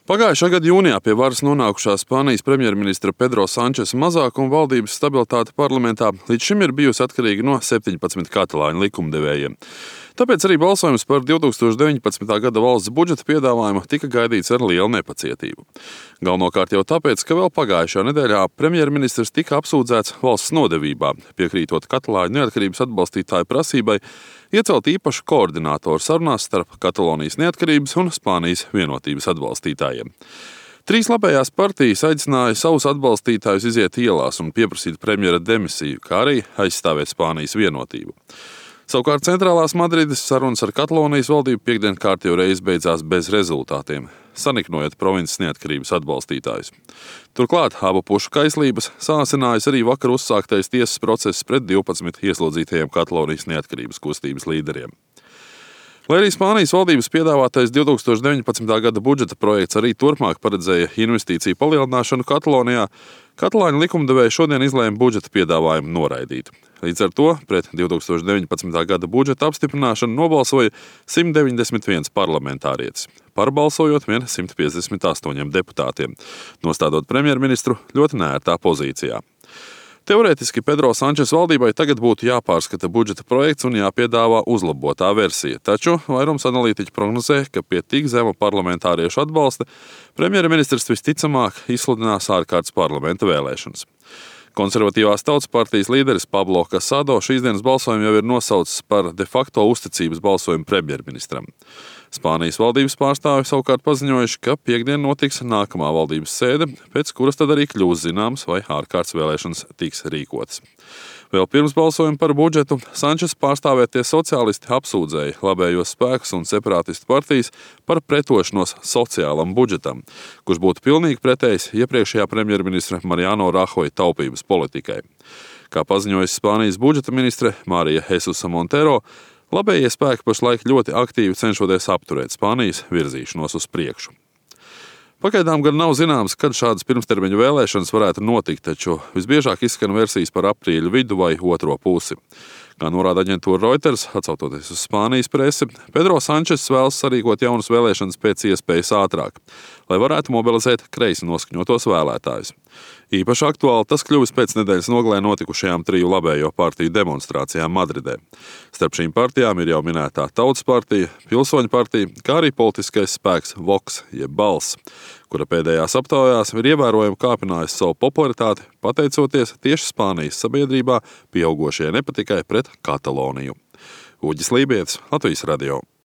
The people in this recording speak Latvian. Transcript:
Pagājušā gada jūnijā pie varas nonākušā Spānijas premjerministra Pedro Sančesa mazākuma valdības stabilitāte parlamentā līdz šim ir bijusi atkarīga no 17 katalāņu likumdevējiem. Tāpēc arī balsojums par 2019. gada valsts budžeta piedāvājumu tika gaidīts ar lielu nepacietību. Galvenokārt jau tāpēc, ka vēl pagājušajā nedēļā premjerministrs tika apsūdzēts valsts nodevībā, piekrītot katalāņu neatkarības atbalstītāju prasībai iecelt īpašu koordinātoru sarunās starp Katalonijas neatkarības un Spānijas vienotības atbalstītājiem. Trīs labējās partijas aicināja savus atbalstītājus iziet ielās un pieprasīt premjera demisiju, kā arī aizstāvēt Spānijas vienotību. Savukārt centrālās Madrides sarunas ar Katalonijas valdību piektdien kārtējo reizi beidzās bez rezultātiem, saniknojot provinces neatkarības atbalstītājus. Turklāt abu pušu kaislības sāsinājis arī vakar uzsāktais tiesas process pret 12 ieslodzītajiem Katalonijas neatkarības kustības līderiem. Lai arī Spānijas valdības piedāvātais 2019. gada budžeta projekts arī turpmāk paredzēja investīciju palielināšanu Katalonijā, katalāņu likumdevēji šodien izlēma budžeta piedāvājumu noraidīt. Līdz ar to pret 2019. gada budžeta apstiprināšanu nobalsoja 191 parlamentārietis, pārbalsojot vien 158 deputātiem, nostādot premjerministru ļoti neērtā pozīcijā. Teorētiski Pedro Sančesa valdībai tagad būtu jāpārskata budžeta projekts un jāpiedāvā uzlabotā versija, taču vairums analītiķi prognozē, ka pie tik zema parlamentāriešu atbalsta premjerministrs visticamāk izsludinās ārkārtas parlamenta vēlēšanas. Konservatīvās tautas partijas līderis Pablo Casado šīs dienas balsojumu jau ir nosaucis par de facto uzticības balsojumu premjerministram. Spānijas valdības pārstāvi savukārt paziņojuši, ka piektdien notiks nākamā valdības sēde, pēc kuras tad arī kļūs zināms, vai ārkārtas vēlēšanas tiks rīkotas. Vēl pirms balsojuma par budžetu Sančesa pārstāvētie sociālisti apsūdzēja labējos spēkus un separātistu partijas par pretošanos sociālam budžetam, kurš būtu pilnīgi pretējs iepriekšējā premjerministra Mariano Rajoja taupības politikai. Kā paziņojas Spānijas budžeta ministre Marija Jesusa Montero, labējie spēki pašlaik ļoti aktīvi cenšoties apturēt Spānijas virzīšanos uz priekšu. Pagaidām gan nav zināms, kad šādas pirmstermiņu vēlēšanas varētu notikt, taču visbiežāk izskan versijas par aprīļa vidu vai otro pusi. Kā norāda aģentūra Reuters, atsaucoties uz Spānijas presi, Pedro Sančes vēlas sarīkot jaunas vēlēšanas pēc iespējas ātrāk, lai varētu mobilizēt kreisi noskaņotos vēlētājus. Īpaši aktuāli tas kļuvis pēc nedēļas nogalē notikušajām triju labējo partiju demonstrācijām Madridē. Starp šīm partijām ir jau minētā Tautas partija, Pilsoņu partija, kā arī politiskais spēks Vox, jeb Balss, kura pēdējās aptaujās ir ievērojami kāpinājusi savu popularitāti, pateicoties tieši Spānijas sabiedrībā pieaugošajai nepatikai pret Kataloniju. Uģis Lībietis, Latvijas radio.